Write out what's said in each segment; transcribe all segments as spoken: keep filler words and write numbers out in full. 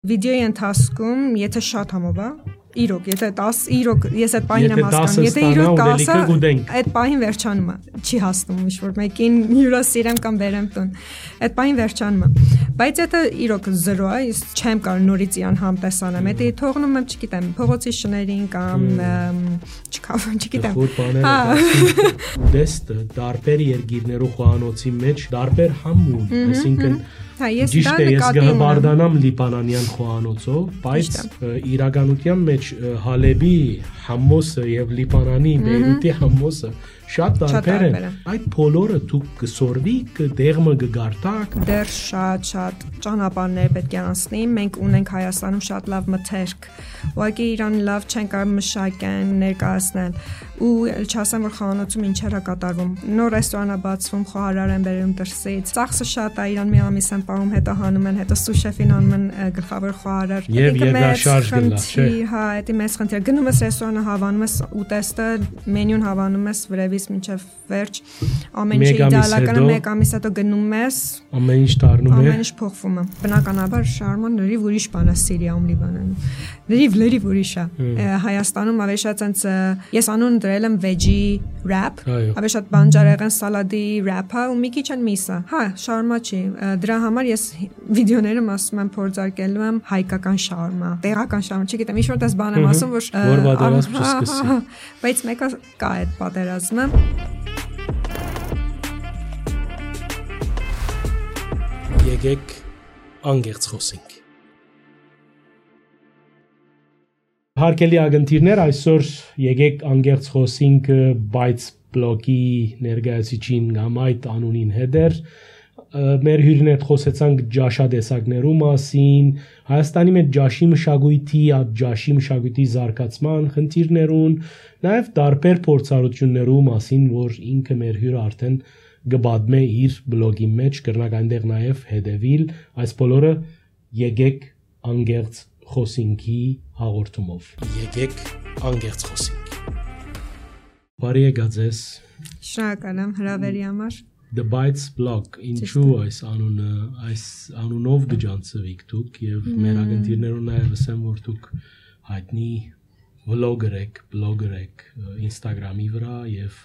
Վիդեոյի ընթացքում, եթե շատ համով է, իրոք, եթե տասը, իրոք, ես այդ պահին եմ հասկանում, եթե իրոք տասը, այդ պահին վերջանում է, չի հասնում ինչ-որ մեկին հյուրասիրեմ կամ բերեմ տուն, այդ պահին վերջանում է, բայց եթե իրոք զրո է, ես չեմ կարող նորից իրան համտեսանեմ, եթե թողնում եմ, չգիտեմ, փողոցի շներին կամ չգիտեմ, ուդեստը դարբեր երգիրներու խոհանոցի մեջ դարբեր համ ունի, այսինքն Ճիշտ է, ես գհբարդանամ լիբանանյան խոհանոցով, բայց իրականության մեջ Հալեբի համոսը եւ Լիբանանի Բեյրութի համոսը շատ տարբեր են։ Այդ բոլորը դուք կսորվի, կդեղը կգարտակ։ Դեռ շատ-շատ ճանապարհներ պետք է անցնի։ Մենք ունենք Հայաստանում շատ լավ մթերք։ Ուղղակի իրան լավ չեն կարող մշակեն, ներկայացնել։ Ու չասեմ, որ խոհանոցում ինչեր է կատարվում։ Նոր ռեստորան է բացվում, խոհարար են բերում դրսից։ Ծախսը շատ է, իրան մի ամիս են պահում, հետո հանում են, հետո սուշեֆին անում են գլխավոր խոհարար։ Եվ երկրաշարժ գլա, չէ։ Հա, դա մեծ խնդիր։ Գնում ես ռեստորանը, հավանում ես ուտեստը, մենյուն հավանում ես վրևից մինչև վերջ, ամեն ինչ իդեալական է, մեկ ամիս հետո գնում ես, ամեն ինչ դառնում է, ամեն ինչ փոխվում է։ Բնականաբար շարման լրիվ ուրիշ բան է Սիրիայում, Լիբանանում։ Լրիվ լրիվ ուրիշ է։ Հայաստանում ավելի շատ այնց ես անուն դրել եմ veggie wrap, ավելի շատ բանջարեղեն սալադի wrap-ը ու մի քիչ են միսը։ Հա, շարմա չի։ Դրա համար ես վիդեոներում ասում եմ փորձարկելու եմ հայկական շարմա, տեղական շարմա, չգիտեմ, ինչ-որ դες բան եմ ասում, որ որ պատերազմ չսկսի։ Բայց մեկը կա այդ պատերազմը։ Եկեք անգերց խոսենք։ Հարգելի ագնտիրներ, այսօր եկեք անգերց խոսենք բայց բլոգի ներկայացուցիչին կամ այդ անունին հետեր մեր հյուրին հետ խոսեցանք ջաշադեսակներու մասին, Հայաստանի մեջ ջաշի մշակույթի, այդ ջաշի մշակույթի զարգացման խնդիրներուն, նաև տարբեր փորձառություններու մասին, որ ինքը մեր հյուրը արդեն գբադմ է իր բլոգի մեջ, կրնակ այնտեղ նաև հետևիլ, այս բոլորը եկեք անգերց խոսինքի հաղորդումով։ Եկեք անգերց խոսինք։ Բարի եկած ես։ Շնորհակալ եմ հրավերի համար։ The Bites blog, ինչու այս անունը, այս անունով գջանցվիք դուք եւ մեր ագնտիրներուն նաև ասեմ, որ դուք հայտնի vlogger եք, blogger եք Instagram-ի վրա եւ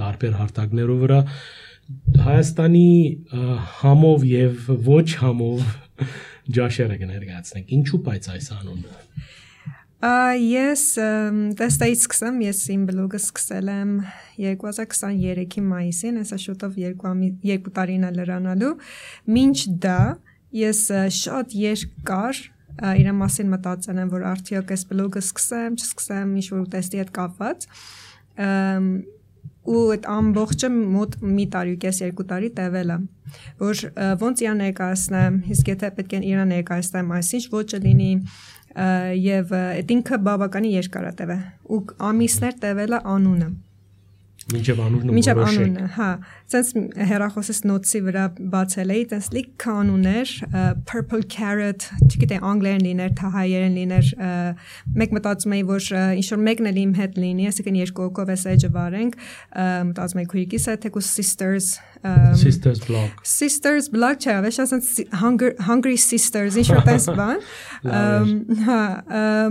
տարբեր հարթակներով վրա Հայաստանի համով եւ ոչ համով ջաշերը կներկայացնենք։ Ինչու բայց այս անունը։ Ես տեստայից սկսեմ, ես իմ բլոգը սկսել եմ երկու հազար քսաներեքի մայիսին, այսա շուտով երկու տարին է լրանալու, մինչ դա ես շատ երկար իրեն մասին մտածել եմ, որ արդյոք այս բլոգը սկսեմ, չսկսեմ, ինչ-որ ուտեստի հետ կապված, ու այդ ամբողջը մոտ մի տարի ու կես երկու տարի տևել է, որ ոնց իրան ներկայացնեմ, իսկ եթե պետք է իրան ներկայացնեմ, այսինչ ոչը լինի եւ այդ ինքը բավականին երկար է տևել ու ամիսներ տևել է անունը Մինչև անունը Մինչև անունը, հա, ցենց հեռախոսից նոթսի վրա բացել էի, ցենց լիք կանուներ, purple carrot, չգիտեմ անգլերեն լիներ, թե հայերեն լիներ, մեկ մտածում էի, որ ինչ որ մեկն էլ իմ հետ լինի, այսինքն երկու հոգով էս էջը վարենք, մտածում էի քույրիկիս հետ, թեկուզ sisters Sisters blog Sisters blog չէ, ավեշ ասենց hungry sisters, ինչ որ տես բան, հա,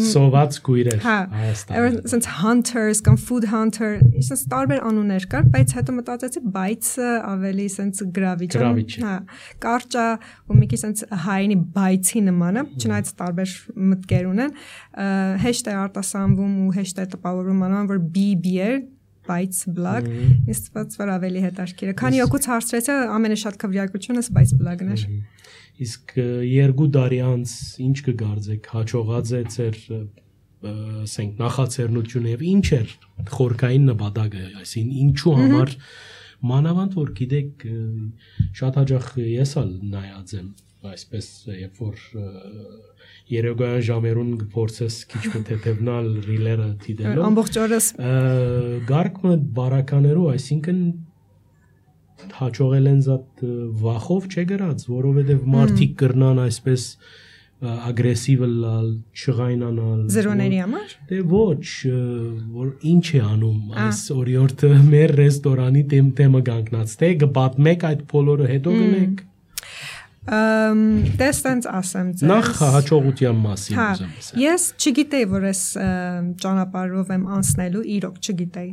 սոված քույրեր, Հայաստան, ցենց hunters կամ food hunter, ինչ տարբեր անուններ կար, բայց հետո մտածեցի բայցը ավելի սենց գրավիչ է, հա, կարճ է ու մի քիչ սենց հայինի բայցի նման է, չնայած տարբեր մտքեր ունեն, հեշտ է արտասանվում ու հեշտ է տպավորվում անվան, որ B B էր, բայց բլոգ, ինձ թվաց որ ավելի հետաքրքիր է, քանի օգուց հարցրեցի, ամենաշատ քվեարկությունս բայց բլոգն էր։ Իսկ երկու տարի անց ինչ կգարձեք, հաջողած է ձեր ասենք նախաձեռնությունը եւ ինչ էր խորքային նպատակը, այսինքն ինչու համար մանավանդ որ գիտեք շատ հաճախ ես ալ նայած եմ այսպես երբ որ երեկոյան ժամերուն փորձես քիչ մտեթևնալ ռիլերը դիտելով ամբողջ օրս գարկը բարականերով, այսինքն հաջողել են զատ վախով չգրած, որովհետեւ մարդիկ կրնան այսպես ագրեսիվ լալ, չղայնանալ զրոների համար դե ոչ որ ինչ է անում այս օրիորդը մեր ռեստորանի թեմը կանգնած թե գբատմեք այդ բոլորը հետո գնեք Դե ստենց ասեմ ձեզ։ Նախ հաջողության մասին ուզում եմ։ Ես չգիտեի, որ ես ճանապարհով եմ անցնելու, իրոք չգիտեի։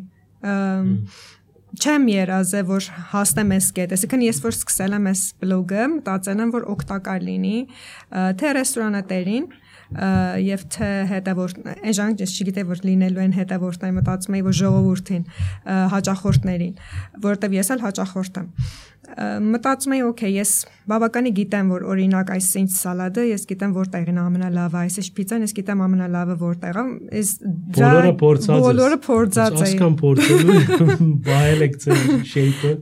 Չեմ երազե, որ հասնեմ այս կետ, այսինքն ես որ սկսել եմ այս բլոգը, մտածել եմ, որ օգտակար լինի, թե ռեստորանատերին եւ թե հետևորդ այն ժանկ ես չգիտեի որ լինելու են հետևորդներ մտածում էի որ ժողովրդին հաճախորդներին որովհետեւ ես էլ հաճախորդ եմ մտածում էի օքեյ ես բավականի գիտեմ որ օրինակ այս ինչ սալադը ես գիտեմ որտեղին ամենալավը այս ինչ պիցան ես գիտեմ ամենալավը որտեղ է այս բոլորը փորձած բոլորը փորձած է ասկան փորձելու բայել եք շեյփը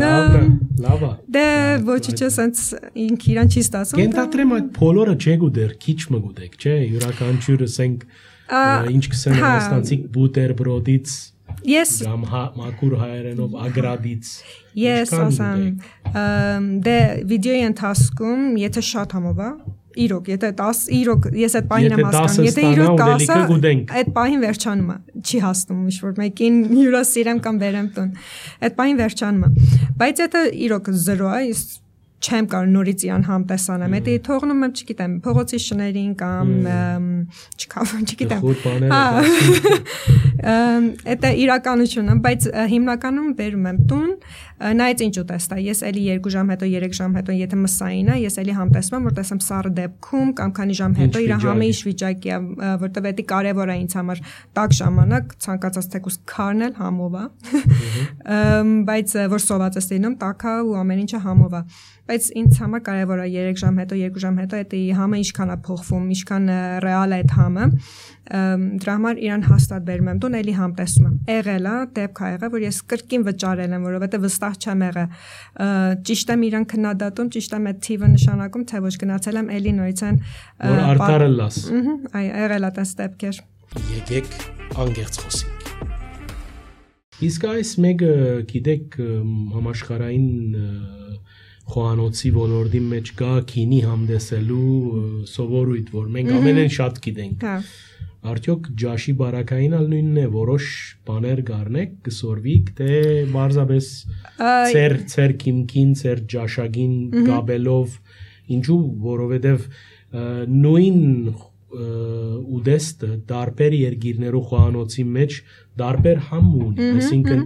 լավա լավա դե ոչինչ ասած ինք իրան չի ստացվում կենտրեմ այդ բոլորը չգուտեր քիչ մգուտեք չէ յուրաքանչյուրը ասենք ինչ կսեն հաստանցիկ բուտերբրոդից Yes. Կամ մակուր հայերենով ագրադից Yes, ասեմ դե վիդեոյի ընթացքում եթե շատ համով է իրոք եթե դես իրոք ես այդ պահին եմ հասկանում եթե իրոք դասը այդ պահին վերջանում է չի հասնում ինչ որ մեկին հյուրասիրեմ կամ վերեմ տուն այդ պահին վերջանում է բայց եթե իրոք զրո է ես չեմ կարող նորից իրան համտեսանեմ դա թողնում եմ չգիտեմ փողոցի շներին կամ չկավ չգիտեմ դա իրականությունն է բայց հիմնականում բերում եմ տուն նայած ինչ ուտեստա ես էլի երկու ժամ հետո երեք ժամ հետո եթե մսային է ես էլի համտեսում եմ որ տեսեմ սառը դեպքում կամ քանի ժամ հետո իր համը ինչ վիճակի է որտեվ դա կարևոր է ինձ համար տակ ժամանակ ցանկացած թեկուս քարնել համով է բայց որ սոված ես լինում տակա ու ամեն ինչը համով է բայց ինձ համար կարևոր է երեք ժամ հետո երկու ժամ հետո այդ համը ինչքան է փոխվում ինչքան ռեալ է այդ համը դրա համար իրան հաստատ բերում եմ տուն էլի համտեսում եմ եղել է դեպք ա եղել որ ես կրկին վճարել եմ որովհետև վստահ չեմ եղել ճիշտ եմ իրան քննադատում ճիշտ եմ այդ թիվը նշանակում թե ոչ գնացել եմ էլի նորից են որ արտարը լաս այ եղել է տես դեպքեր եկեք անգերց խոսենք իսկ այս մեկը գիտեք համաշխարհային խոհանոցի ոլորտի մեջ կա քինի համդեսելու սովորույթ որ մենք ամենեն շատ գիտենք արդյոք ջաշի բարակային ալ նույնն է որոշ բաներ գառնեք կսորվիկ թե բարձաբես ծեր ծեր քիմքին ծեր ջաշագին գաբելով ինչու որովհետև նույն ուդեստը դարբեր երկիրներու խոհանոցի մեջ դարբեր համ ունի այսինքն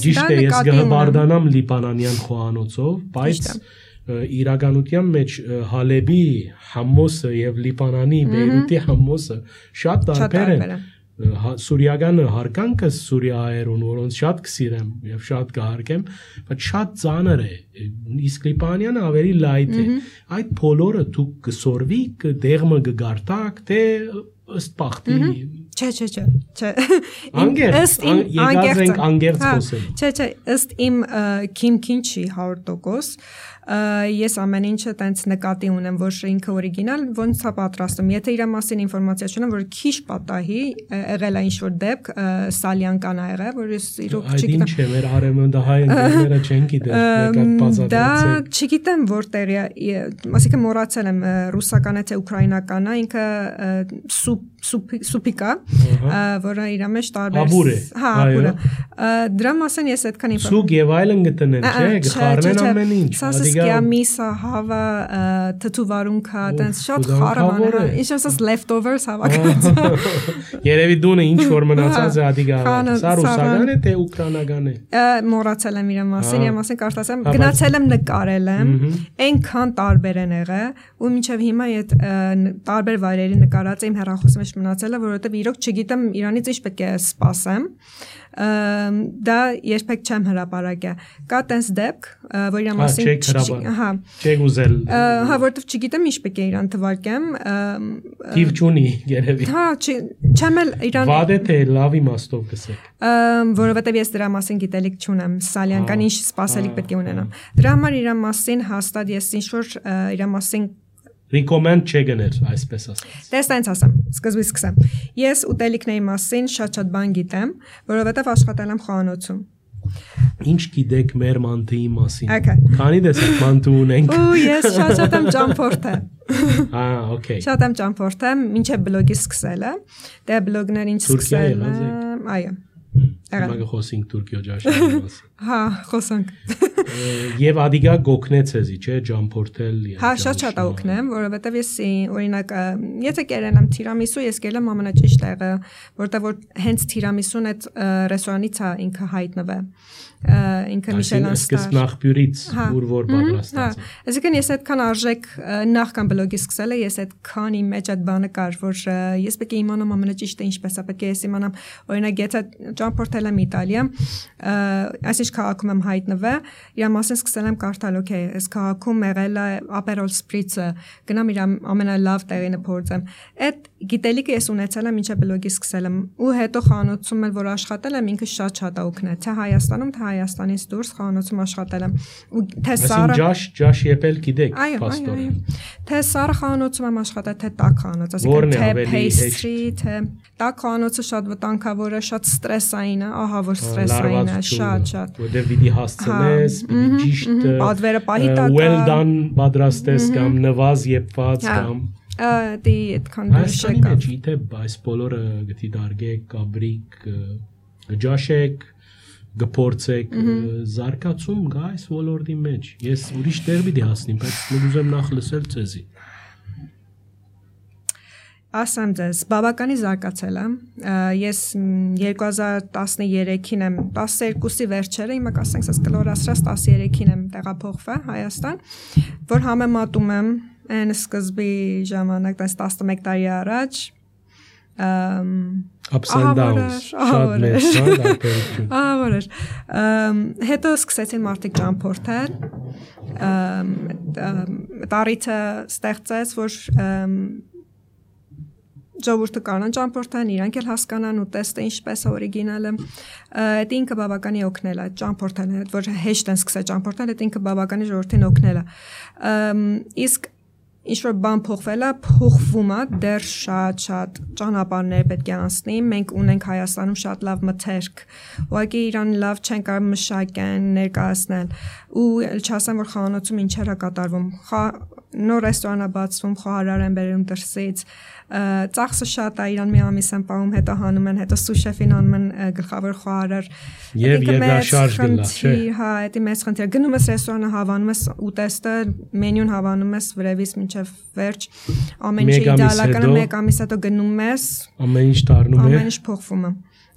ճիշտ է ես գհբարդանամ լիբանանյան խոհանոցով բայց իրականության մեջ Հալեբի համոսը եւ Լիբանանի Բեյրութի համոսը շատ տարբեր են Սուրիագանը հարկանքը Սուրիայերուն որոնց շատ կսիրեմ եւ շատ կհարգեմ բայց շատ ծանր է իսկ Լիբանանը ավելի լայթ է այդ բոլորը դուք կսորվի կդեղմը կգարտակ թե ըստ բախտի չէ չէ չէ չէ անգերց եկած ենք անգերց խոսել չէ չէ ըստ իմ քիմքին չի հարյուր տոկոս ես ամեն ինչը տենց նկատի ունեմ որ ինքը օրիգինալ ոնց է պատրաստում եթե իր մասին ինֆորմացիա չունեմ որ քիչ պատահի եղել է ինչ որ դեպք սալյանկան ա եղել որ ես իրոք չգիտեմ այդ ինչ է մեր արևմտահայ ընկերները չեն գիտեր մեկը բացատրեցեք դա չգիտեմ որտեղ է ասիկա մոռացել եմ ռուսական է թե ուկրաինական է ինքը սուպիկա որը իր մեջ տարբեր հա ապուրը դրա մասին ես այդքան ինֆորմացիա սուկ եւ այլն գտնեն չէ գխառնեն ամեն ինչ Սասկիա միսա հավա թթուվարունքա տենց շատ խառաման է ինչ ասած leftovers հավաքած երևի դունը ինչ որ մնացած է ադիգա սա ռուսական է թե ուկրաինական է մոռացել եմ իր մասին իր մասին կարծացեմ գնացել եմ նկարել եմ այնքան տարբեր են եղել ու մինչև հիմա այդ տարբեր վայրերի նկարած իմ հեռախոսի մեջ մնացել է որովհետև իրոք չգիտեմ իրանից ինչ պետք է սպասեմ դա երբեք չեմ հրապարակել կա տես դեպք որ իր մասին հա չեք ուզել հա որովհետև չգիտեմ ինչ պետք է իրան թվարկեմ թիվ չունի երևի հա չեմ էլ իրան վատ է թե լավ իմաստով կսեք որովհետև ես դրա մասին գիտելիք չունեմ սալյանկան ինչ սպասելիք պետք է ունենամ դրա համար իր մասին հաստատ ես ինչ որ իր մասին recommend չգներ այսպես ասած Դες տենց ասեմ սկզբից սկսեմ ես ուտելիքների մասին շատ-շատ բան գիտեմ որովհետև աշխատել եմ խոհանոցում Ինչ գիտեք մեր մանթիի մասին քանի դեսեք մանթու ունենք ու ես շատ-շատ եմ ճամփորդել Ահա օքեյ շատ եմ ճամփորդել մինչև բլոգի սկսելը դե բլոգներ ինչ սկսել եմ այո Մագա խոսենք Թուրքիո ջաշի մասին Հա խոսանք Եվ ադիգա գոքնեց էզի, չէ, ճամփորդել։ Հա, շատ-շատ օգնեմ, որովհետև ես օրինակ, եթե կերել եմ թիրամիսու, ես գել եմ ամենաճիշտ տեղը, որտեղ որ հենց թիրամիսուն այդ ռեստորանից է ինքը հայտնվել։ Ինքը Միշելան ստար։ Այսինքն նախբյուրից ուր որ պատրաստած է։ Այսինքն ես այդքան արժեք նախքան բլոգի սկսել եմ, ես այդքանի մեջ այդ բանը կար, որ ես պետք է իմանամ ամենաճիշտը ինչպես է, պետք է ես իմանամ, օրինակ եթե ճամփորդել եմ Իտալիա, այսինչ քաղաքում եմ հայտնվել, իր մասին սկսել եմ կարդալ, օքեյ, այս քաղաքում եղել է Aperol Spritz-ը, գնամ իր ամենալավ տեղինը փորձեմ։ Այդ գիտելիքը ես ունեցել եմ ինչը բլոգի սկսել եմ, ու հետո խանութում էլ որ աշխատել եմ, ինքը շատ-շատ օգնել, թե Հայաստանում, թե Հայաստանից դուրս խանութում աշխատել եմ ու թե Սարը ջաշ ջաշ եպել գիտեք պաստորը թե Սարը խանութում եմ աշխատել թե տաք խանութ ասիկա թե pastry թե տաք խանութը շատ վտանգավոր է շատ ստրեսային է ահա որ ստրեսային է շատ շատ որտեղ պիտի հասցնես պիտի ճիշտ պատվերը պահի տակ well done պատրաստես կամ նվազ եփված կամ դի այդքան դուրս եկա այս իթե այս բոլորը գտի դարգեք կաբրիկ գջաշեք գփորձեք զարգացում գա այս ոլորտի մեջ ես ուրիշ տեղ պիտի հասնեմ բայց ուզում նախ լսել ցեզի ասեմ ձեզ բավականի զարգացել եմ ես երկու հազար տասներեքին եմ տասներկուսի վերջերը հիմա կասենք ասես կլորացրած տասներեքին եմ տեղափոխվել Հայաստան որ համեմատում եմ այն սկզբի ժամանակ տասնմեկ տարի առաջ ups and downs շատ մեծ դեպքերում ահավորեր հետո սկսեցին մարդիկ ճամփորդել տարիթը ստեղծեց որ ժողովուրդը կանան ճամփորդան իրանք էլ հասկանան ու տեստը ինչպես է օրիգինալը այդ ինքը բավականի օգնել է ճամփորդել որ հեշտ են սկսել ճամփորդել այդ ինքը բավականի ժողովրդին օգնել է իսկ ինչ որ բան փոխվել է, փոխվում է, դեռ շատ-շատ ճանապարհներ պետք է անցնի։ Մենք ունենք Հայաստանում շատ լավ մթերք։ Ուղղակի իրան լավ չեն կարող մշակեն, ներկայացնել։ Ու չասեմ, որ խանութում ինչեր է կատարվում։ Նոր ռեստորան է բացվում, խոհարար են բերում դրսից։ Ծախսը շատ է, իրան մի ամիս են պահում, հետո հանում են, հետո սուշեֆին անում են գլխավոր խոհարար։ Եվ երկաշարժ գնա, չէ։ Հա, դա մեծ խնդիր։ Գնում ես ռեստորանը հավանում ես ուտեստը, մենյուն հավանում ես վրևից մինչև վերջ ամեն ինչ իդեալական է մեկ ամիս հետո գնում ես ամեն ինչ դառնում է ամեն ինչ փոխվում է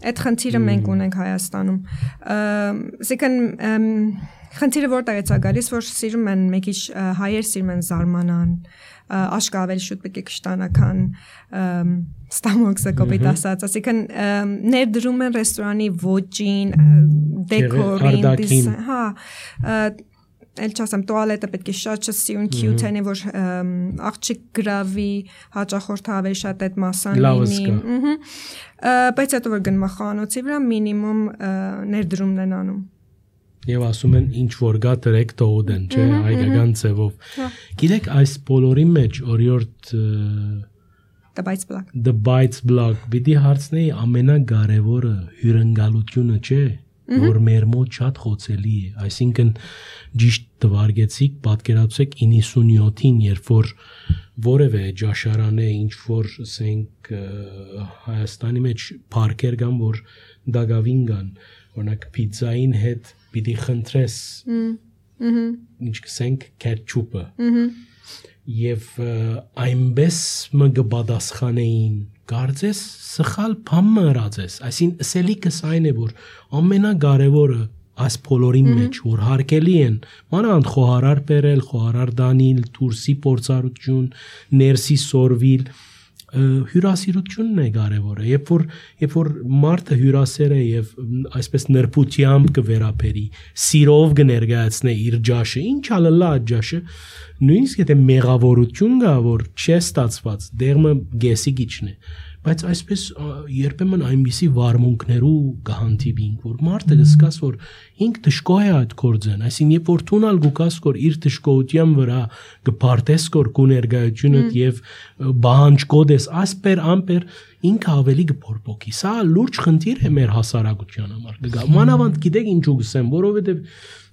այդ խնդիրը մենք ունենք Հայաստանում ասիկան խնդիրը որտեղից է գալիս որ սիրում են մեկ ինչ հայեր սիրում են զարմանան աշկա ավելի շուտ պետք է կշտանական ստամոքսը կոպիտ ասած ասիկան ներդրում են ռեստորանի ոճին դեկորին հա Էլ չասեմ տուալետը պետք է շատ չսիրուն cute լինի որ աղջիկ գրավի հաճախորդը ավելի շատ այդ մասան լինի բայց հետո որ գնում խանութի վրա մինիմում ներդրումն են անում Եվ ասում են ինչ որ գա դրեք տողոդեն չէ հայկական ձևով գիտեք այս բոլորի մեջ օրիորդ The Bites Blog The Bites Blog պիտի հարցնեի ամենակարևորը հյուրընկալությունը չէ որ մեր մոտ շատ խոցելի է այսինքն ճիշտ տվարգեցիք պատկերացրեք իննսունյոթին երբ որ որևէ ջաշարան է ինչ որ ասենք Հայաստանի մեջ парքեր կան որ դագավին կան օրինակ պիցային հետ պիտի խնդրես ինչ կսենք կետչուպը եւ այնպես մը կպատասխանեին Կարծես սխալ բան մրացես, այսինքն սելիկս այն է որ ամենակարևորը այս բոլորի մեջ որ հարկելի են, մանավանդ խոհարար բերել, խոհարար դանիլ, դուրսի փորձառություն, ներսի սորվիլ, հյուրասիրությունն է կարևորը, երբ որ երբ որ մարդը հյուրասեր է եւ այսպես նրբությամբ կվերապերի, սիրով կներկայացնե իր ջաշը, ինչ ալլա ջաշը, նույնիսկ եթե մեղավորություն կա, որ չի ստացված, դերմը գեսիգիչն է, բայց այսպես երբեմն այնպիսի վարմունքներու կհանդիպինք, որ մարդը կսկաս որ ինք դժկոհ է այդ գործեն, այսինքն երբ որ տունալ գուկաս որ իր դժկոհության վրա կփարտես որ կուներգայությունը եւ բանջկոդես ասպեր ամպեր ինքը ավելի կփորփոքի, սա լուրջ խնդիր է մեր հասարակության համար։ Մանավանդ գիտեք ինչու գսեմ, որովհետեւ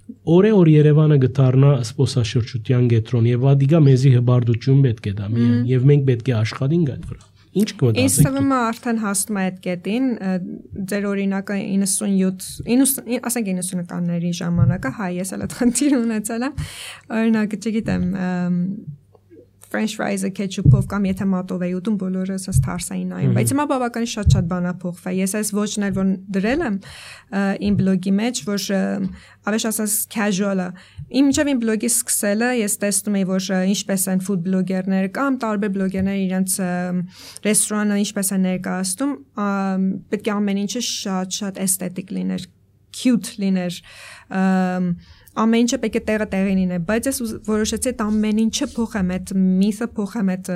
Օրե օր Երևանը գտարնա սպոսաշրջության կենտրոն եւ ադիգա մեզի հբարդություն պետք է դա միայն եւ մենք պետք է աշխատենք այդ վրա։ Ինչ կմտածեք։ Ինձ թվում է արդեն հասնում է այդ կետին, ձեր օրինակը իննսունյոթ, ասենք իննսունականների ժամանակը, հայ ես էլ այդ խնդիր ունեցել եմ, օրինակ, չգիտեմ, French fries-ը ketchup-ով կամ եթե մատով էի ուտում, բոլորը ասես թարս էին նայում, բայց հիմա բավականին շատ-շատ բան ա փոխվել։ Ես այս ոչն էլ որ դրել եմ իմ բլոգի մեջ, որ ավեշ ասես casual-ը։ Իմ միջև իմ բլոգի սկսելը ես տեսնում էի, որ ինչպես են food բլոգերները կամ տարբեր բլոգերները իրենց ռեստորանը ինչպես են ներկայացնում, պետք է ամեն ինչը շատ-շատ էսթետիկ լիներ, cute լիներ, ամեն ինչը պետք է տեղը տեղին լինի, բայց ես որոշեցի այդ ամեն ինչը փոխեմ, այդ միթը փոխեմ, այդ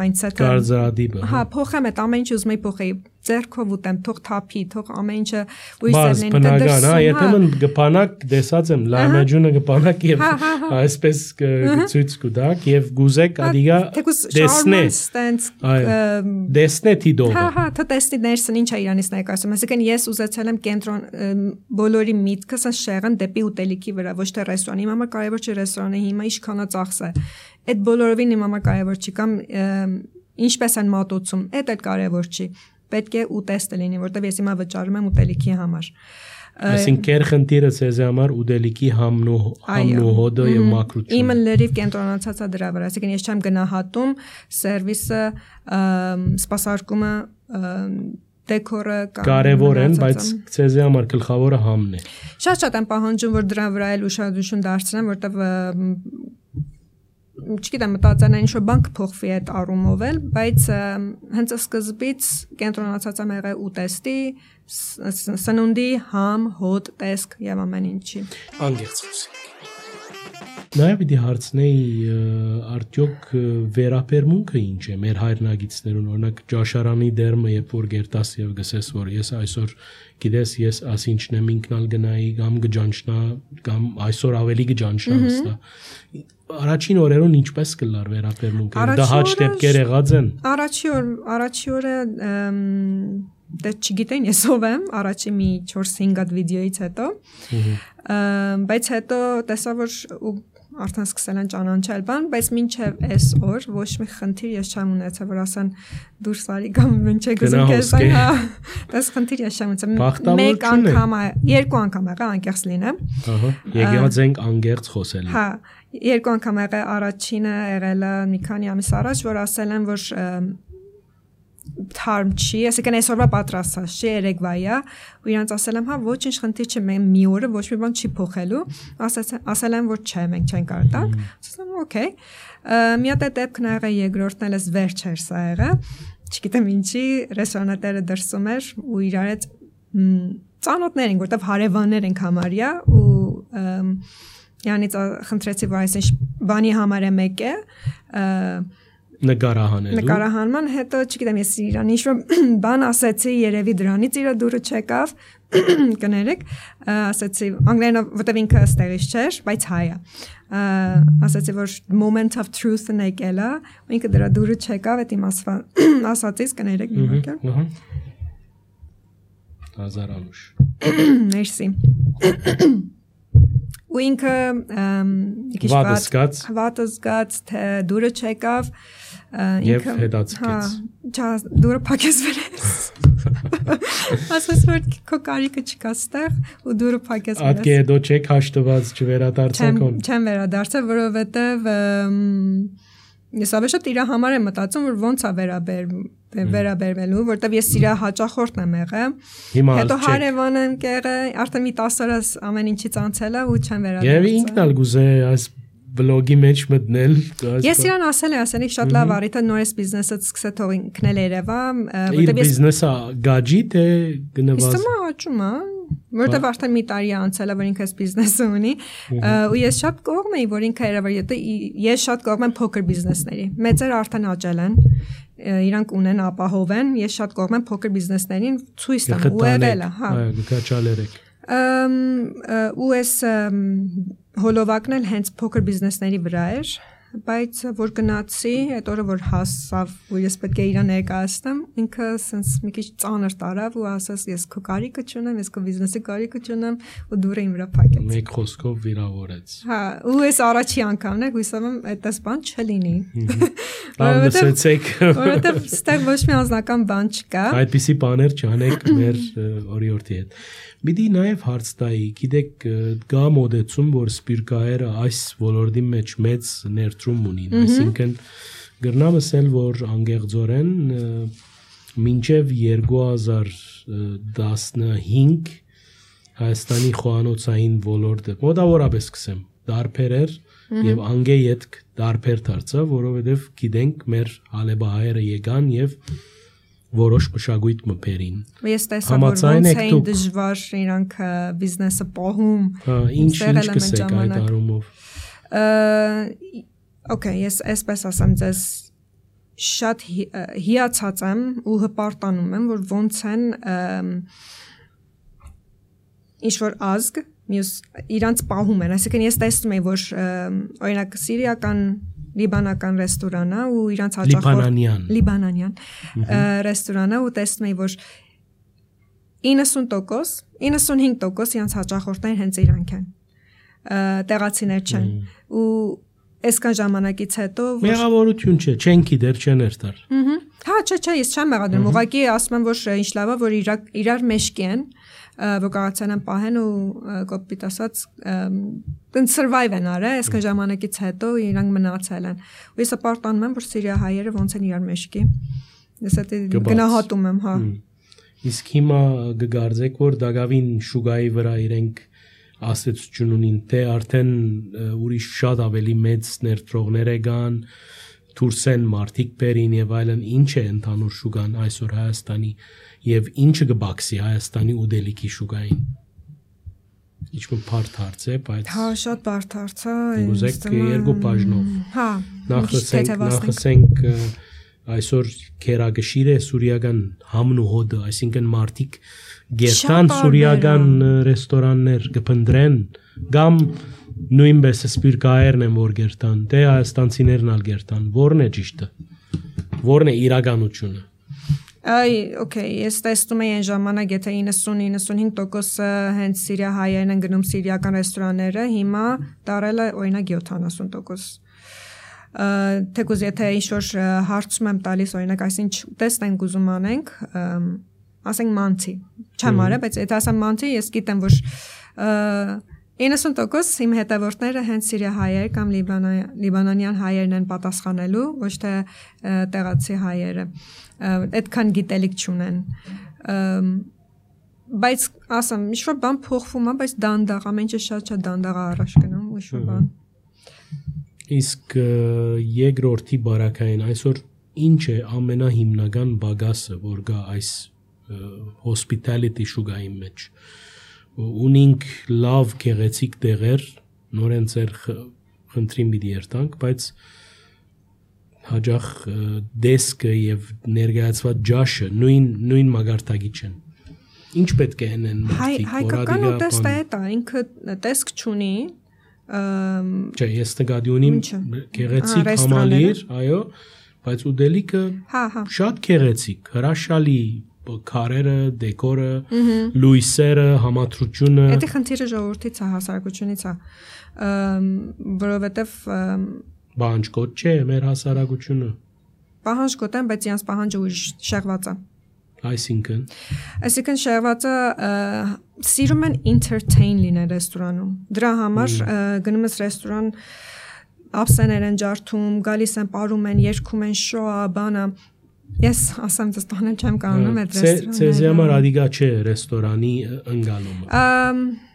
mindset-ը։ Կարծրադիպը։ Հա, փոխեմ այդ ամեն ինչ ուզում էի փոխեի, ձեռքով ուտեմ, թող թափի, թող ամեն ինչը ույսերն են դրսում։ Հա, երբեմն գպանակ դեսած եմ, լայմաջունը գպանակ եւ այսպես ցույց կտակ եւ գուզեք ադիգա դեսնե։ Դեսնե թիդով։ Հա, հա, թ տեսնի ներսն ինչ է իրանից ներկայացում։ Այսինքն ես ուզեցել եմ կենտրոն բոլորի միտքը շեղեն դեպի ուտելիքի վրա, ոչ թե ռեստորան։ Իմ համար կարևոր չէ ռեստորանը հիմա ինչքանա ծախս է։ Այդ բոլորովին իմ համար կարևոր չի կամ ինչպես են մատուցում, այդ էլ կարևոր չի։ Պետք է ուտեստը լինի, որտեղ ես հիմա վճարում եմ ուտելիքի համար։ Այսինքն կեր խնդիրը ցեզ համար ուտելիքի համն ու համն ու հոդը եւ մակրությունը։ Իմը լրիվ կենտրոնացած է դրա վրա, այսինքն ես չեմ գնահատում սերվիսը, սպասարկումը, դեկորը կամ կարևոր են, բայց ցեզ համար գլխավորը համն է։ Շատ-շատ եմ պահանջում, որ դրա վրա էլ ուշադրություն դարձնեմ, որտեղ չգիտեմ, մտածել եմ ինչ-որ բան կփոխվի այդ առումով էլ, բայց հենց սկզբից կենտրոնացած եմ եղել ուտեստի, սնունդի, համ, հոտ, տեսք եւ ամեն ինչի։ Անգերց խոսենք։ Նաև պիտի հարցնեի արդյոք վերապերմունքը ինչ է մեր հայրենագիտներուն, օրինակ ճաշարանի դերմը, երբ որ գերտաս եւ գսես, որ ես այսօր գիտես ես ասինչն եմ ինքնալ գնայի կամ գջանչնա կամ այսօր ավելի գջանչնա հստա։ Առաջին օրերուն ինչպես կլար վերապերմունքը։ Դա հաճ դեպքեր եղած են։ Առաջի օր, առաջի օրը դե չգիտեն ես ով եմ, առաջի մի չորս-հինգ հատ վիդեոից հետո, բայց հետո տեսա որ արդեն սկսել են ճանաչել բան, բայց մինչև այս օր ոչ մի խնդիր ես չեմ ունեցել, որ ասեն դուրս արի կամ ինչ է գզում քեզ, հա, դες խնդիր ես չեմ ունեցել։ Մեկ անգամ, երկու անգամ եղա անկեղծ լինեմ։ Ահա, եկած ենք անկեղծ խոսել։ Հա, երկու անգամ եղա, առաջինը եղել է մի քանի ամիս առաջ, որ ասել են, որ թարմ չի, այսինքն այսօրվա պատրաստած չի, երեկվայա, ու իրանց ասել եմ, հա, ոչինչ խնդիր չի, մենք մի օրը ոչ մի բան չի փոխելու, ասել եմ, որ չէ, մենք չենք կարող տալ, ասել եմ, օքեյ, մի հատ դեպքն ա եղել, երկրորդն էլ էս վերջ էր սա եղել, չգիտեմ ինչի, ռեստորանատերը դրսում էր ու իրար հետ ծանոթներ են, որտեվ հարևաններ ենք համարյա ու Յանից խնդրեցի, որ այսինչ բանի համար է մեկ է, նկարահանելու։ Նկարահանման հետո, չգիտեմ, ես իրան ինչ-որ բան ասեցի, երևի դրանից իրա դուրը չեկավ, կներեք, ասեցի, անգլերենով, որտև ինքը ստեղից չէր, բայց հայ է, ասեցի, որ moment of truth-ն եկել է, ու ինքը դրա դուրը չեկավ, այդ իմ ասացից, կներեք, մի մակը։ Հազարանուշ։ Մերսի։ Ու ինքը վատը զգաց, վատը զգաց, թե դուրը չեկավ, և հետացկեց։ Հա, դուրը փակեց վերես։ Ասես որ քո կարիքը չկա ստեղ ու դուրը փակեց վերես։ Ատկե հետո չեք հաշտված չվերադարձեք on։ Չեմ վերադարձել, որովհետև ես ավելի շատ իր համար եմ մտածում, որ ոնց է վերաբերվում վերաբերվելու, որտեվ ես իր հաճախորդն եմ եղել։ Հետո հարևան եմ եղել, արդեն մի տասը օր ամեն ինչից անցել է ու չեմ վերադարձել։ Եվ ինքն էլ գուզե այս բլոգի մեջ մտնել։ Ես իրան ասել եմ, ասել եմ շատ լավ առիթ է նորից բիզնեսը սկսե թող ինքն էլ երևա, որտեվ ես բիզնեսը գաջի թե գնված։ Իսկ մա աճում է, որտեվ արդեն մի տարի անցել է, որ ինքը այս բիզնեսը ունի, ու ես շատ կողմ եի, որ ինքը երևա, ես շատ կողմ եմ փոքր բիզնեսների։ Մեծերը արդեն աճել են, իրանք ունեն ապահով են, ես շատ կողմ եմ փոքր բիզնեսներին ցույց տամ ու եղել է, հա։ Այո, գաչալերեք։ Ու այս հոլովակն էլ հենց փոքր բիզնեսների վրա էր, բայց որ գնացի, այդ օրը որ հասավ, ու ես պետք է իրան ներկայացնեմ, ինքը sense մի քիչ ծանր տարավ ու ասաց ես քո կարիքը չունեմ, ես քո բիզնեսի կարիքը չունեմ ու դուրը իմ վրա փակեց։ Մեկ խոսքով վիրավորեց։ Հա, ու ես առաջի անգամն է, հույսով եմ այդպես բան չլինի։ Լսեցեք, որովհետև ստեղ ոչ մի անձնական բան չկա։ Այդպիսի բաներ չանեք մեր օրիորդի հետ։ Բիդի նաև հարց տայի, գիտեք, կա մոդեցում, որ սպիրկահայերը այս ոլորտի մեջ մեծ ներդրում ունին, այսինքն գրնամ ասել, որ անգեղձորեն մինչև երկու հազար տասնհինգ Հայաստանի խոհանոցային ոլորտը մոտավորապես սկսեմ, դարբեր էր եւ անգե ետք դարբեր դարձավ, որովհետեւ գիտենք մեր հալեբահայերը եկան եւ որոշ մշակույթ մբերին։ Ես տեսա որ ոնց էին դժվար իրանք բիզնեսը պահում։ Հա, ինչ ինչ կսեք այդ առումով։ Okay, ես այսպես ասեմ, ձեզ շատ հիացած եմ ու հպարտանում եմ, որ ոնց են ինչ որ ազգ մյուս իրանց պահում են, այսինքն ես տեսնում եմ, որ օրինակ սիրիական լիբանական ռեստորանա ու իրանց հաճախորդ լիբանանյան ռեստորանա ու տեսնում եմ, որ իննսուն տոկոս, իննսունհինգ տոկոս իրանց հաճախորդներն հենց իրանք են, տեղացիներ չեն ու այսքան ժամանակից հետո մեղավորություն չէ, չեն գիտեր, չեն երթար։ Հա, չէ, չէ, ես չեմ մեղադրում, ուղղակի ասում եմ, որ ինչ լավ է, որ իրար մեջքի են, որ կարողացան են պահեն ու կոպիտ ասած survive են արել, այսքան ժամանակից հետո իրանք մնացել են։ Ու ես հպարտանում եմ, որ սիրիահայերը ոնց են իրար մեջքի։ Ես դա գնահատում եմ, հա։ Իսկ հիմա կգարձեք, որ դակավին շուգայի վրա իրենք ասեցություն ունին, թե արդեն ուրիշ շատ ավելի մեծ ներդրողներ եկան, դուրս են մարդիկ բերին եւ այլն, ինչ է ընդհանուր շուգան այսօր Հայաստանի եւ ինչը կբացի Հայաստանի ուդելիքի շուգային։ Ինչ-որ բարդ հարց է, բայց հա, շատ բարդ հարց է։ Ուզեք երկու բաժնով։ Հա, նախսենք, նախսենք այսօր քերագշիր է սուրիական համն ու հոդը, այսինքն մարդիկ գերտան սուրիական ռեստորաններ կփնտրեն, կամ նույնպես սպիրկահայերն են որ գերտան, թե հայաստանցիներն ալ գերտան, որն է ճիշտը, որն է իրականությունը։ Այ, okay, ես տեսնում եմ այն ժամանակ, եթե իննսուն իննսունհինգ տոկոսը հենց սիրիահայերն են գնում սիրիական ռեստորանները, հիմա դարել է օրինակ յոթանասուն տոկոս։ Թեկուզ եթե ինչ-որ հարցում եմ տալիս, օրինակ, այսինչ տեսնենք ուզում անենք, ասենք մանցի, չեմ արել, բայց եթե ասեմ մանցի, ես գիտեմ, որ իննսուն տոկոս իմ հետևորդները հենց սիրիահայեր կամ լիբանանյան հայերն են պատասխանելու, ոչ թե տեղացի հայերը, այդքան գիտելիք չունեն, բայց ասեմ, ինչ-որ բան փոխվում է, բայց դանդաղ, ամենը շատ շատ դանդաղ առաջ գնում, ինչ-որ բան։ Իսկ երկրորդի բարակային այսօր ինչ է ամենահիմնական բագասը, որ գա այս hospitality շուգայի մեջ։ Ունենք լավ գեղեցիկ տեղեր, նորեն ձեր խնդրին պիտի երթանք, բայց հաջող դեսկը եւ ներկայացված ջաշը նույն նույն մագարտակի չեն։ Ինչ պետք է անեն մարդիկ, հայկական ուտեստը է դա, ինքը տեսք չունի։ Չէ, ես նկատի ունիմ գեղեցիկ համալիր, այո, բայց ուդելիքը շատ գեղեցիկ, հրաշալի քարերը, դեկորը, լույսերը, համադրությունը։ Դա խնդիրը ժողովրդից է, հասարակությունից է, որովհետև պահանջկոտ չէ մեր հասարակությունը։ Պահանջկոտ են, բայց իրանց պահանջը ուրիշ շեղված է։ Այսինքն Այսինքն շեղվածը սիրում են entertain լինել ռեստորանում։ Դրա համար գնում ես ռեստորան, ափսեներ են ջարդում, գալիս են, պարում են, երգում են, շոա, բանը։ Ես ասեմ, դες տանել չեմ կարողանում այդ ռեստորանը։ Ցեզի համար ադիգա չէ ռեստորանի ընկալումը։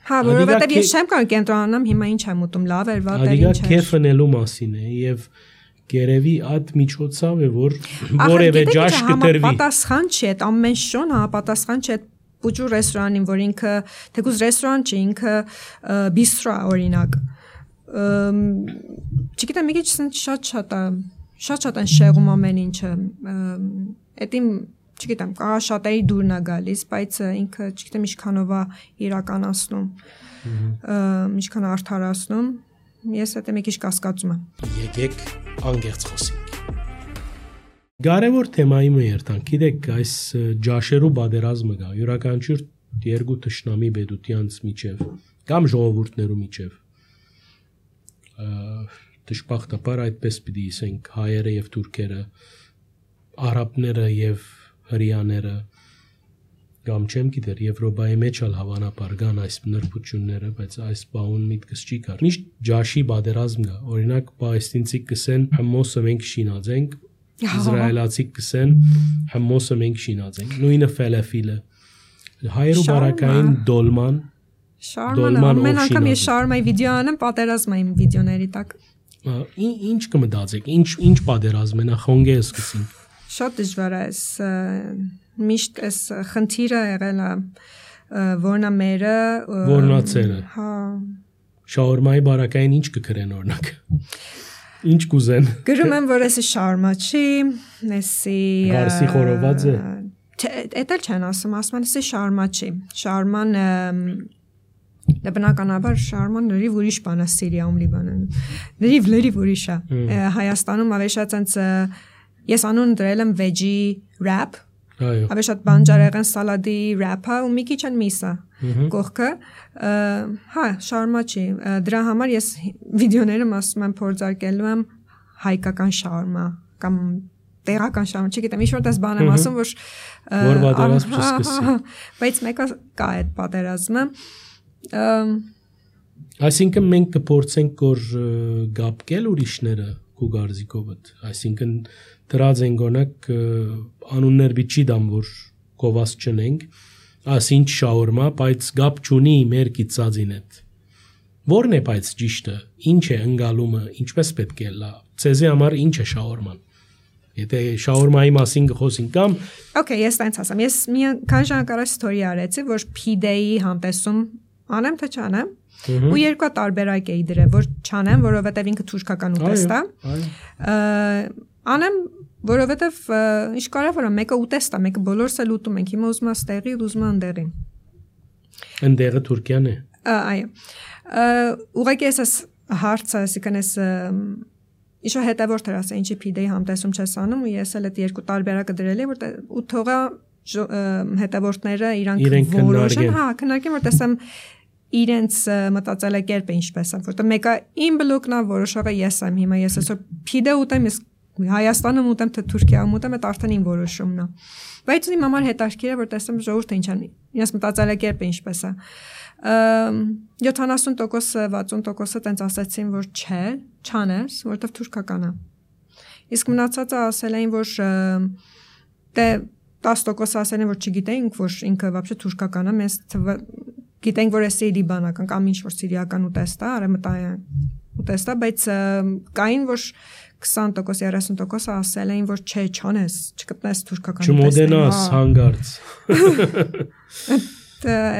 Հա, որովհետև ես չեմ կարող կենտրոնանամ, հիմա ինչ եմ ուտում, լավ էր, վատ էր, ինչ էր։ Ադիգա քեֆնելու մասին է եւ Գերևի այդ միջոցով է, որ որևէ ջաշ կտրվի։ Պատասխան չի, այդ ամեն շոն համապատասխան չի այդ պուջու ռեստորանին, որ ինքը թեկուզ ռեստորան չի, ինքը բիստրո է օրինակ։ Չգիտեմ, մի քիչ շատ-շատ է, շատ-շատ են շեղում ամեն ինչը։ Այդ իմ, չգիտեմ, կարա շատերի դուրն է գալիս, բայց ինքը, չգիտեմ, ինչքանով է իրականացնում, ինչքան արդարացնում։ ես այդ մի քիչ կասկածում եմ։ Եկեք անգերց խոսենք։ Կարևոր թեմայի մի երթանք, գիտեք, այս ջաշերու բادرազմը գա, յուրաքանչյուր երկու թշնամի բեդությանց միջև կամ ժողովուրդներու միջև։ Դժբախտաբար այդպես պիտի ասենք հայերը եւ թուրքերը, արաբները եւ հրեաները կամ չեմ գիտեր Եվրոպայի մեջ ալ հավանաբար կան այս նրբությունները, բայց այս բանուն միտքս չի կար։ Միշտ ջաշի բادرազմ կա, օրինակ պալեստինցի կսեն հմոսը մենք շինած ենք, իսրայելացի կսեն հմոսը մենք շինած ենք, նույնը ֆելեֆիլը, հայերու բարակային դոլման, շարմանը, ամեն անգամ ես շարմայի վիդեո անեմ, պատերազմային վիդեոների տակ։ Ինչ կմտածեք, ինչ ինչ պատերազմ է, նախ հոնգե սկսենք։ Շատ դժվար է, միշտ այս խնդիրը եղել է որնա մերը որնացերը հա շաուրմայի բարակային ինչ կգրեն օրինակ ինչ կուզեն գրում եմ որ էսի շարմա չի էսի գարսի խորոված է էտել չեն ասում ասում են էսի շարմա չի շարման դա բնականաբար շարման լրիվ ուրիշ բան է Սիրիայում Լիբանանում լրիվ լրիվ ուրիշ է Հայաստանում ավելի շատ այնց ես անուն դրել եմ veggie wrap այո ավելի շատ բանջարեղեն սալադի wrap-ը ու մի քիչ են միսը կողքը հա շարմա չի դրա համար ես վիդեոներում ասում եմ փորձարկելու եմ հայկական շարմա կամ տեղական շարմա չգիտեմ ինչ որ դες բան եմ ասում որ որ պատերազմ չսկսի բայց մեկը կա այդ պատերազմը այսինքն մենք կփորձենք որ գապկել ուրիշները քու գարձիկովդ այսինքն դրած են գոնակ անուններ բիչի դամ որ կովաս չնենք ասինչ շաուրմա բայց գապ չունի մեր կիծածին հետ որն է բայց ճիշտը ինչ է ընկալումը ինչպես պետք է լա ցեզի համար ինչ է շաուրման եթե շաուրմայի մասին խոսենք կամ Okay ես տենց ասեմ ես մի քան ժամ կարա ստորի արեցի որ P-Day-ի համտեսում անեմ թե չանեմ ու երկու տարբերակ էի դրել որ չանեմ որովհետև ինքը թուրքական ուտեստ է անեմ որովհետև ինչ կարևոր է մեկը ուտեստ է մեկը բոլորս էլ ուտում ենք հիմա ուզում եմ ստեղի ուզում եմ ընդեղի ընդեղը Թուրքիան է այո ուղղակի էս հարցը ասիկան էս Իշո հետևորդ էր ասա ինչի P-Day համտեսում չես անում ու ես էլ այդ երկու տարբերակը դրել եմ որ ու թողա հետևորդները իրանք որոշեն հա քննարկեն որ տեսեմ իրենց մտածելակերպը ինչպես է որտեղ մեկը իմ բլոկն է որոշողը ես եմ հիմա ես այսօր P-Day ուտեմ ես Հայաստանում ուտեմ թե Թուրքիայում ուտեմ այդ արդեն իմ որոշումն է բայց իմ համար հետաքրքիր է որ տեսեմ ժողովուրդը ինչ են իրենց մտածելակերպը ինչպես է յոթանասուն տոկոս վաթսուն տոկոսը տենց ասացին որ չէ չանես որովհետև թուրքական է իսկ մնացածը ասել էին որ դե տասը տոկոս ասել են որ չգիտեինք որ ինքը вообще թուրքական է մեզ գիտենք որ էսի լիբանական կամ ինչ որ սիրիական ուտեստ է արեմտային ուտեստ է բայց կային որ քսան տոկոս երեսուն տոկոս ասել էին որ չէ չանես չգտնես թուրքական չմոդենաս հանգարց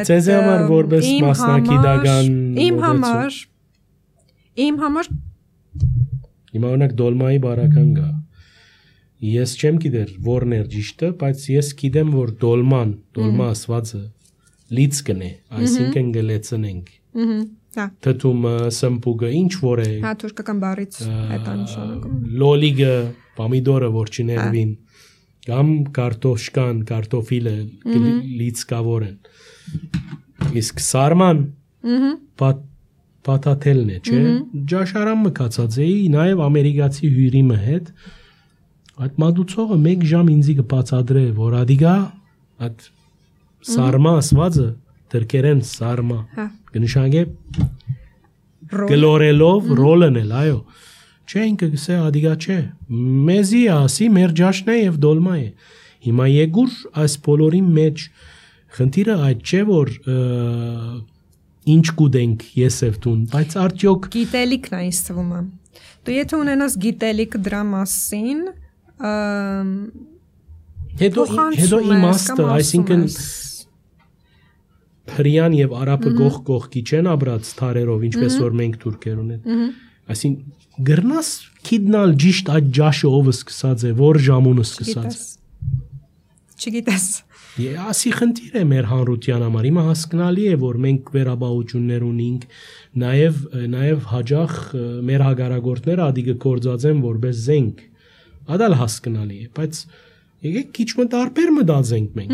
Ձեզ համար որպես մասնակիտական իմ համար իմ համար հիմա օրինակ դոլմայի բարական գա ես չեմ գիտեր որն էր ճիշտը բայց ես գիտեմ որ դոլման դոլմա ասվածը լից կնե այսինքն գլեցնենք հա թթումը սմպուգը ինչ որ է հա թուրքական բառից այդ անշանակում լոլիգը պամիդորը որ չներվին կամ կարտոշկան կարտոֆիլը լիցկավոր են իսկ սարման պատաթելն է չէ ջաշարան մկացած էի նաև ամերիկացի հյուրիմը հետ այդ մատուցողը մեկ ժամ ինձի կբացադրե որ ադիգա այդ սարմա ասվածը դրկերեն սարմա կնշանակե գլորելով ռոլն էլ այո չէ ինքը գսե ադիգա չէ մեզի ասի մեր ջաշն է եւ դոլմա է հիմա եգուր այս բոլորի մեջ խնդիրը այդ չէ որ ինչ կուտենք ես եւ տուն բայց արդյոք գիտելիքն է ինձ թվում է դու եթե ունենաս գիտելիք դրա մասին հետո հետո իմաստը այսինքն հրյան եւ արաբը գող կողքի չեն ապրած թարերով ինչպես որ մենք թուրքերուն են այսինքն գրնաս քիդնալ ճիշտ այդ ջաշը ով սկսած է որ ժամուն սկսած չգիտես Ասի խնդիր է մեր հանրության համար։ Հիմա հասկանալի է, որ մենք վերաբաություններ ունենք, նաև նաև հաջող մեր հագարագործները ադիգը կորձածեն որպես զենք։ Ադալ հասկանալի է, բայց եկեք քիչ մտարբեր մտածենք մենք։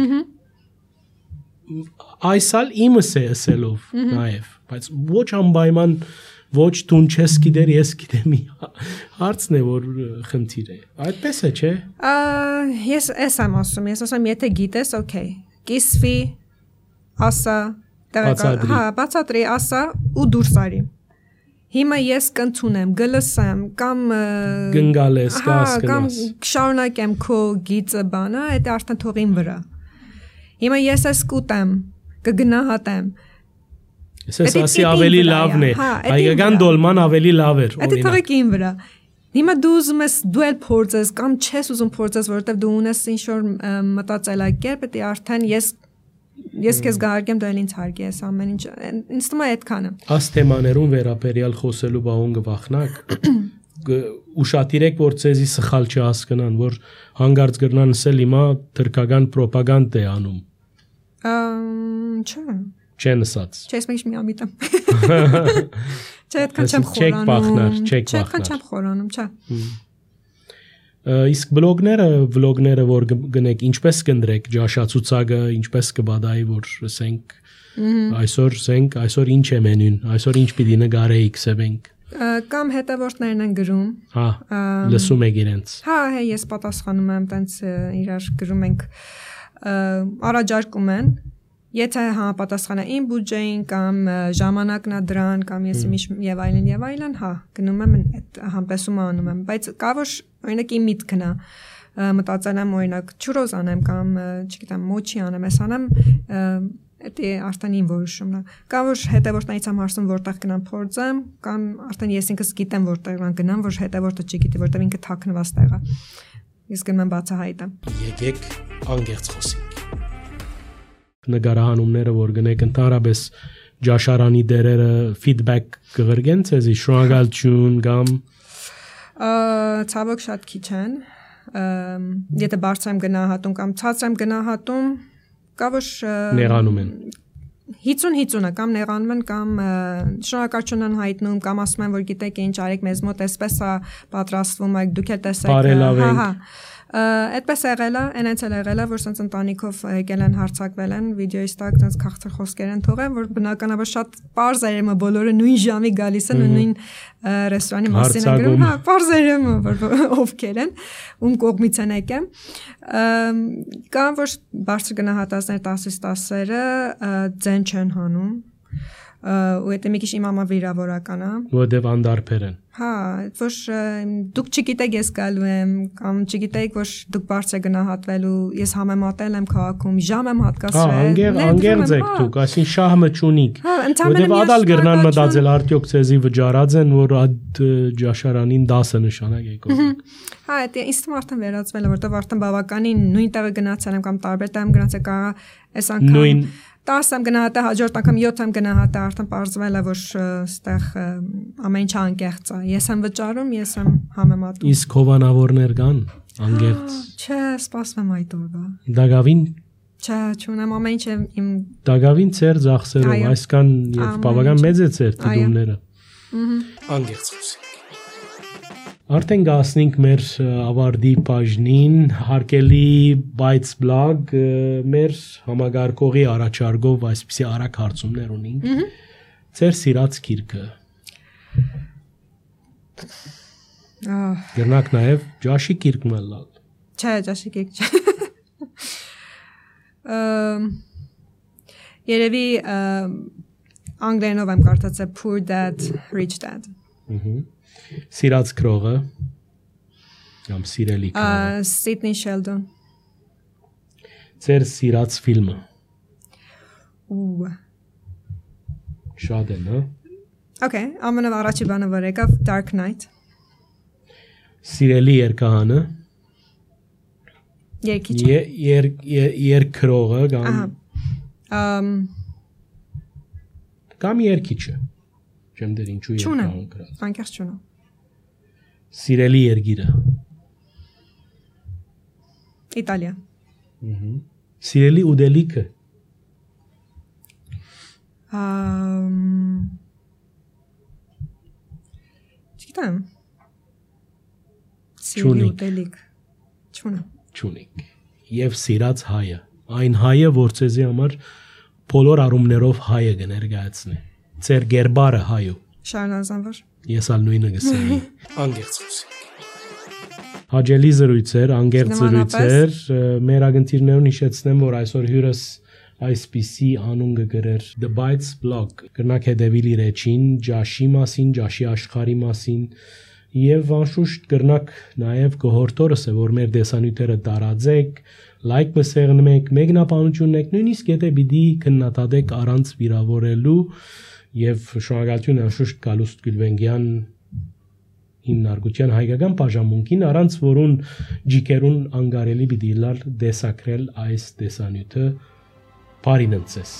Այսալ իմս է ասելով նաև, բայց ոչ անպայման ոչ տուն չես գիտեր, ես գիտեմ հարցն է, որ խնդիր է։ Այդպես է, չէ։ Ես էս եմ ասում, ես ասում եթե գիտես, օքեյ, կիսվի, ասա, հա, բացատրի, ասա ու դուրս արի։ Հիմա ես կընդունեմ, գլսեմ, կամ գնգալես, կամ շարունակեմ քո գիծը բանը, դա արդեն թողին վրա։ Հիմա ես ես կուտեմ, կգնահատեմ։ Ես ասի ավելի լավն է, հայկական դոլման ավելի լավ էր, օրինակ։ Դա թողեք ին վրա։ Հիմա դու ուզում ես դու էլ փորձես կամ չես ուզում փորձես, որովհետև դու ունես ինչ-որ մտածելակերպ, դա արդեն ես ես քեզ գահարկեմ, դու էլ ինձ հարգի ես ամեն ինչ։ Ինձ թվում է այդքանը։ Աս թեմաներուն վերաբերյալ խոսելու բաղոն գվախնակ, ուշադիրեք, որ ցեզի սխալ չհասկանան, որ հանգարց գրնան ասել հիմա թրքական ռոպագանդ է անում։ Չէ։ Չեն ասած։ Չէ, ես մենք մի ամիտեմ։ Չէ, այդքան չեմ խորանում։ Չեք բախնար, չեք բախնար։ Չէ, այդքան չեմ խորանում, չէ։ Իսկ բլոգները, վլոգները, որ գնեք, ինչպես կնդրեք ջաշացուցակը, ինչպես կբադայի, որ ասենք այսօր ասենք, այսօր ինչ է մենյուն, այսօր ինչ պիտի նկարեիք սեվենք։ Կամ հետևորդներն են գրում։ Հա, լսում եք իրենց։ Հա, հա, ես պատասխանում եմ, տենց իրար գրում ենք, առաջարկում են։ Եթե համապատասխանը իմ բյուջեին կամ ժամանակն է դրան կամ ես իմիշ եւ այլն եւ այլն, հա, գնում եմ այդ համպեսումը անում եմ, բայց կա որ օրինակ իմ միտքն է մտածել եմ օրինակ չուրոզ անեմ կամ չգիտեմ մոչի անեմ, ես անեմ դա արդեն իմ որոշումն է։ Կա որ հետևորդներից եմ հարցնում որտեղ գնամ փորձեմ կամ արդեն ես ինքս գիտեմ որտեղ գնամ, որ հետևորդը չգիտի, որտեղ ինքը թաքնված տեղ է։ Իսկ գնում եմ բացահայտեմ։ Եկեք անգերց խոսենք։ Նկարահանումները, որ գնեք ընդհանրապես ջաշարանի դերերը ֆիդբեք կղրգեն ցեզի շնորհակալություն կամ ցավոք շատ քիչ են եթե բարձր եմ գնահատում կամ ցածր եմ գնահատում կա որ նեղանում են հիցուն հիցունը կամ նեղանում են կամ շնորհակալություն են հայտնում կամ ասում են որ գիտեք ինչ արեք մեզ մոտ էսպես է պատրաստվում եք դուք էլ տեսեք հա հա Այդպես եղել է, այնց էլ եղել է, որ sense ընտանիքով եկել են հարցակվել են, վիդեոից տակ sense քաղցր խոսքեր են թողել, որ բնականաբար շատ པարզ էր եմը բոլորը նույն ժամի գալիս են ու նույն ռեստորանի մասին են գրում, հա, པարզ էր եմը, որ ովքեր են, ում կողմից են եկել։ Կան որ բարձր գնահատածներ տասից տասերը ձեն չեն հանում։ Ու դա մի քիչ իմ համար վիրավորական է։ Որտեվ անդարբեր են։ Հա, որ դուք չգիտեք ես գալու եմ կամ չգիտեք որ դուք բարձր գնահատվելու, ես համեմատել եմ քաղաքում, ժամ եմ հատկացրել։ Հա, անգերձ եք դուք, այսին շահը չունիք։ Որտեվ ադալ գրնան մտածել արդյոք ցեզի վճարած են, որ այդ ջաշարանին դասը նշանակ եք ոսիկ։ Հա, դա ինձ թվում արդեն վերածվել է, որտեվ արդեն բավականին նույն տեղը գնացել եմ կամ տարբեր տեղ գնացել կա այս անգամ տասը եմ գնահատել, հաջորդ անգամ յոթ եմ գնահատել, արդեն պարզվել է, որ ստեղ ամեն ինչ անկեղծ է։ Ես եմ վճարում, ես եմ համեմատում։ Իսկ հովանավորներ կան, անկեղծ։ Չէ, սպասում եմ այդ օրվա։ Դագավին։ Չէ, չունեմ ամեն ինչ իմ Դագավին ծեր ծախսերով, այսքան եւ բավական մեծ է ծեր դիմները։ Անկեղծ խոսի։ Արդեն գասնենք մեր ավարտի բաժնին, հարկելի բայց բլոգ մեր համագարկողի առաջարկով այսպիսի արագ հարցումներ ունենք։ Ձեր սիրած գիրքը։ Գնանք նաև ջաշի գիրքն էլ լալ։ Չէ, ջաշի գիրք չէ։ Երևի անգլերենով եմ կարդացել Poor Dad, Rich Dad։ Սիրած գրողը կամ սիրելի գրողը Սիդնի Շելդոն Ձեր սիրած ֆիլմը Ու Շատ են, հա Okay, ամենը առաջի բանը որ եկավ Dark Knight Սիրելի երգահանը Երգիչը Երգրողը կամ կամ երգիչը Չեմ դեր ինչու երգահան գրած Անկեղծ չունեմ Սիրելի երգիրը Իտալիա Սիրելի ուտելիքը։ Ամ Չգիտեմ։ Սիրելի ուտելիք։ Չունեմ։ Չունեք։ Եվ սիրած հայը, այն հայը, որ ցեզի համար բոլոր առումներով հայը կներկայացնի։ Ձեր գերբարը հայու։ Շարնազանվար։ Ես ալ նույնը գսեի։ Անգերց խոսենք։ Հաջելի զրույցեր, անգերց զրույցեր, մեր ագնտիրներուն հիշեցնեմ, որ այսօր հյուրս այսպիսի անուն կգրեր The Bites blog, կրնակ հետևիլ իր էջին, ջաշի մասին, ջաշի աշխարհի մասին, եւ անշուշտ կրնակ նաեւ կողորտորս է, որ մեր դեսանյութերը տարածեք, լայք մսեղնեք, մեկնաբանություն եք, նույնիսկ եթե պիտի քննադատեք առանց վիրավորելու եւ շնորհակալություն անշուշտ Գալուստ Գյուլվենգյան հիմնարկության հայկական բաժանմունքին, առանց որուն ջիկերուն անգարելի պիտի լալ դեսակրել այս դեսանյութը բարին ընծես։